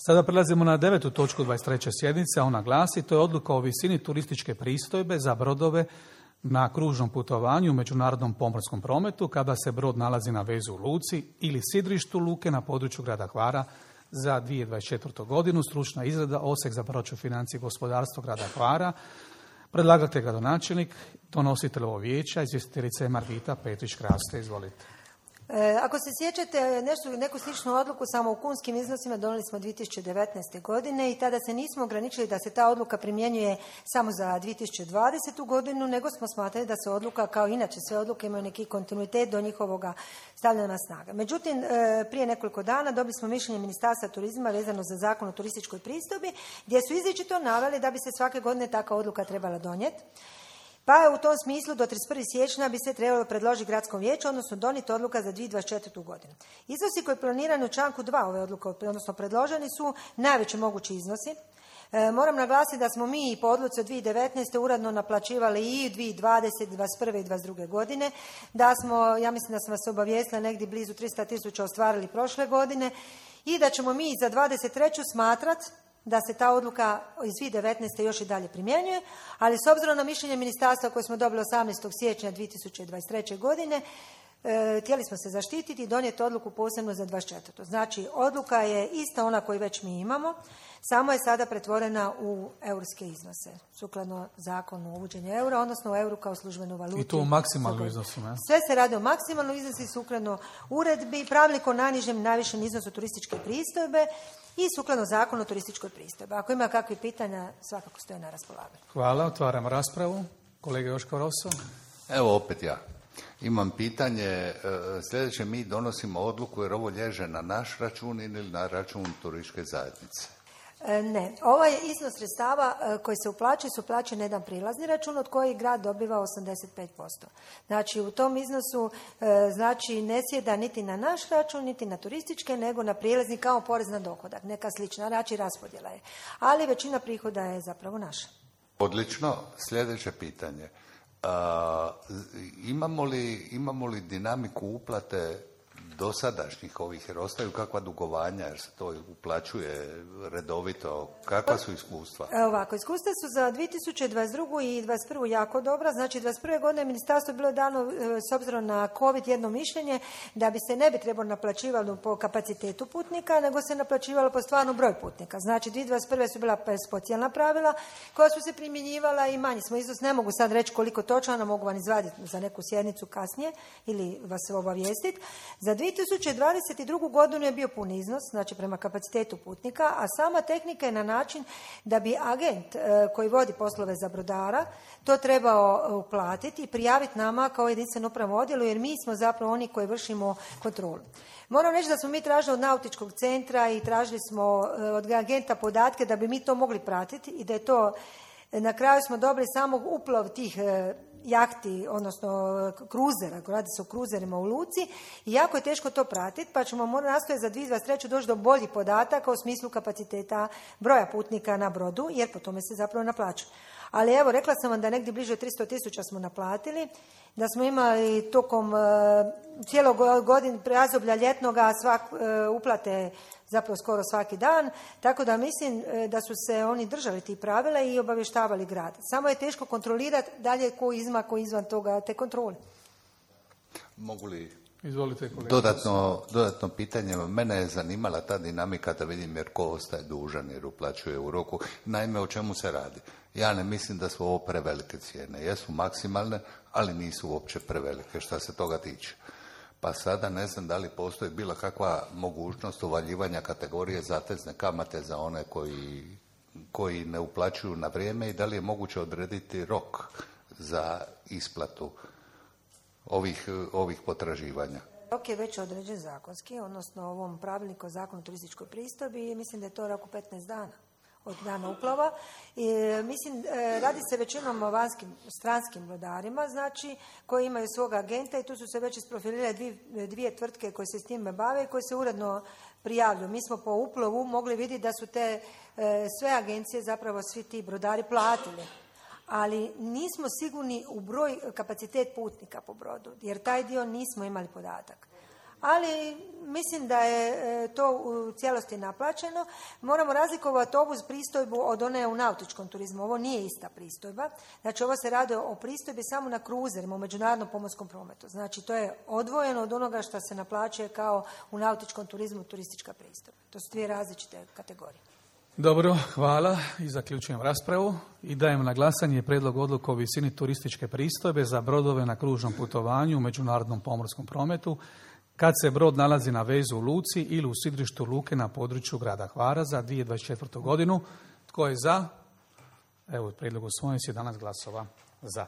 Sada prelazimo na 9. točku 23. sjednice, a ona glasi: to je odluka o visini turističke pristojbe za brodove na kružnom putovanju u međunarodnom pomorskom prometu kada se brod nalazi na vezu u luci ili sidrištu luke na području grada Hvara za 2024. godinu. Stručna izrada, Odsjek za proračun, financije i gospodarstvo grada Hvara. Predlagatelj gradonačelnik, donositelj ovog vijeća, izvjestiteljica je Margita Petrić-Kraste. Izvolite. Ako se sjećate, neku sličnu odluku samo u kunskim iznosima donijeli smo 2019. godine i tada se nismo ograničili da se ta odluka primjenjuje samo za 2020. godinu, nego smo smatrali da se odluka, kao inače sve odluke, imaju neki kontinuitet do njihovoga stavljanja na snaga. Međutim, prije nekoliko dana dobili smo mišljenje Ministarstva turizma vezano za Zakon o turističkoj pristojbi, gdje su izričito naveli da bi se svake godine takva odluka trebala donijeti. Pa je u tom smislu do 31. siječnja bi se trebalo predložiti gradskom vijeću, odnosno donijeti odluka za 2024. godinu. Iznosi koji planirani u članku 2 ove odluke, odnosno predloženi, su najveći mogući iznosi. Moram naglasiti da smo mi i po odluci od 2019. uredno naplaćivali i 2020., 2021. i 2022. godine, da smo, ja mislim da sam vas obavijestila, negdje blizu 300.000 ostvarili prošle godine i da ćemo mi za 2023. smatrati da se ta odluka iz 2019. još i dalje primjenjuje, ali s obzirom na mišljenje ministarstva koje smo dobili 18. siječnja 2023. godine, htjeli smo se zaštititi i donijeti odluku posebno za 2024. Znači, odluka je ista ona koju već mi imamo, samo je sada pretvorena u eurske iznose, sukladno zakonu o uvođenju eura, odnosno u euru kao službenu valutu. I to u maksimalnom iznosu, ne? Sve se radi o maksimalnom iznosu, sukladno uredbi, pravilnik o najnižem i najvišem iznosu turističke pristojbe i sukladno zakonu o turističkoj pristojbi. Ako ima kakvih pitanja, svakako stoje na raspolaganju. Hvala, otvaram raspravu. Kolega Joško Rosso. Evo opet ja. Imam pitanje, sljedeće, mi donosimo odluku jer ovo lježe na naš račun ili na račun turističke zajednice? Ne, ovaj iznos sredstava koji se uplaćuje su uplaćuje na jedan prilazni račun od kojeg grad dobiva 85%. Znači u tom iznosu znači ne sjeda niti na naš račun, niti na turističke, nego na prilazni kao porez na dohodak, neka slična, znači raspodjela je. Ali većina prihoda je zapravo naša. Odlično, sljedeće pitanje. Imamo li dinamiku uplate dosadašnjih ovih, jer ostaju kakva dugovanja, jer se to uplaćuje redovito, kakva su iskustva? Ovako, iskustva su za 2022. i 2021. jako dobra. Znači, 2021. godine ministarstvo je bilo dano, s obzirom na COVID, jedno mišljenje da bi se ne bi trebalo naplaćivalo po kapacitetu putnika, nego se naplaćivalo po stvarnom broju putnika. Znači, 2021. su bila specijalna pravila koja su se primjenjivala i manji smo iznos. Ne mogu sad reći koliko točno, mogu vam izvaditi za neku sjednicu kasnije ili vas obavijestiti. Za 2022. godinu je bio pun iznos, znači prema kapacitetu putnika, a sama tehnika je na način da bi agent koji vodi poslove za brodara to trebao uplatiti i prijaviti nama kao jedinstvenom upravnom odjelu, jer mi smo zapravo oni koji vršimo kontrolu. Moram reći da smo mi tražili od nautičkog centra i tražili smo od agenta podatke da bi mi to mogli pratiti i da je to, na kraju smo dobili samo uplov tih jahti, odnosno kruzera, radi se o kruzerima u luci i jako je teško to pratiti, pa ćemo morati nastojati za 2023. doći do boljih podataka u smislu kapaciteta broja putnika na brodu, jer po tome se zapravo naplaćuje. Ali evo, rekla sam vam da negdje bliže 300.000 smo naplatili, da smo imali tokom cijelog godine razdoblja ljetnoga uplate zapravo skoro svaki dan, tako da mislim da su se oni držali tih pravila i obavještavali grad. Samo je teško kontrolirati dalje ko izvan toga te kontrole. Mogu li Izvolite, kolega. Dodatno pitanje, mene je zanimala ta dinamika da vidim jer ko ostaje dužan jer uplaćuje u roku. Naime, o čemu se radi? Ja ne mislim da su ovo prevelike cijene. Jesu maksimalne, ali nisu uopće prevelike što se toga tiče. Pa sada ne znam da li postoji bila kakva mogućnost uvaljivanja kategorije zatezne kamate za one koji ne uplaćuju na vrijeme i da li je moguće odrediti rok za isplatu ovih potraživanja. Rok je već određen zakonski, odnosno ovom pravilniku o zakonu o turističkoj pristojbi i mislim da je to rok u 15 dana od dana uplova. Mislim, radi se većinom o stranskim brodarima, znači, koji imaju svog agenta i tu su se već isprofilirale dvije tvrtke koje se s time bave i koje se uredno prijavljuju. Mi smo po uplovu mogli vidjeti da su te sve agencije, zapravo svi ti brodari platili. Ali nismo sigurni u broj, kapacitet putnika po brodu, jer taj dio nismo imali podatak. ali mislim da je to u cijelosti naplaćeno. Moramo razlikovati ovu pristojbu od one u nautičkom turizmu. Ovo nije ista pristojba. Znači, ovo se radi o pristojbi samo na kruzerima u međunarodnom pomorskom prometu. Znači, to je odvojeno od onoga što se naplaćuje kao u nautičkom turizmu turistička pristojba. To su dvije različite kategorije. Dobro, hvala i zaključujem raspravu i dajem na glasanje prijedlog odluke o visini turističke pristojbe za brodove na kružnom putovanju u međunarodnom pomorskom prometu kad se brod nalazi na vezu u luci ili u sidrištu luke na području grada Hvara za 2024. godinu. Tko je za? Evo, prijedlog usvojen, 17 glasova za.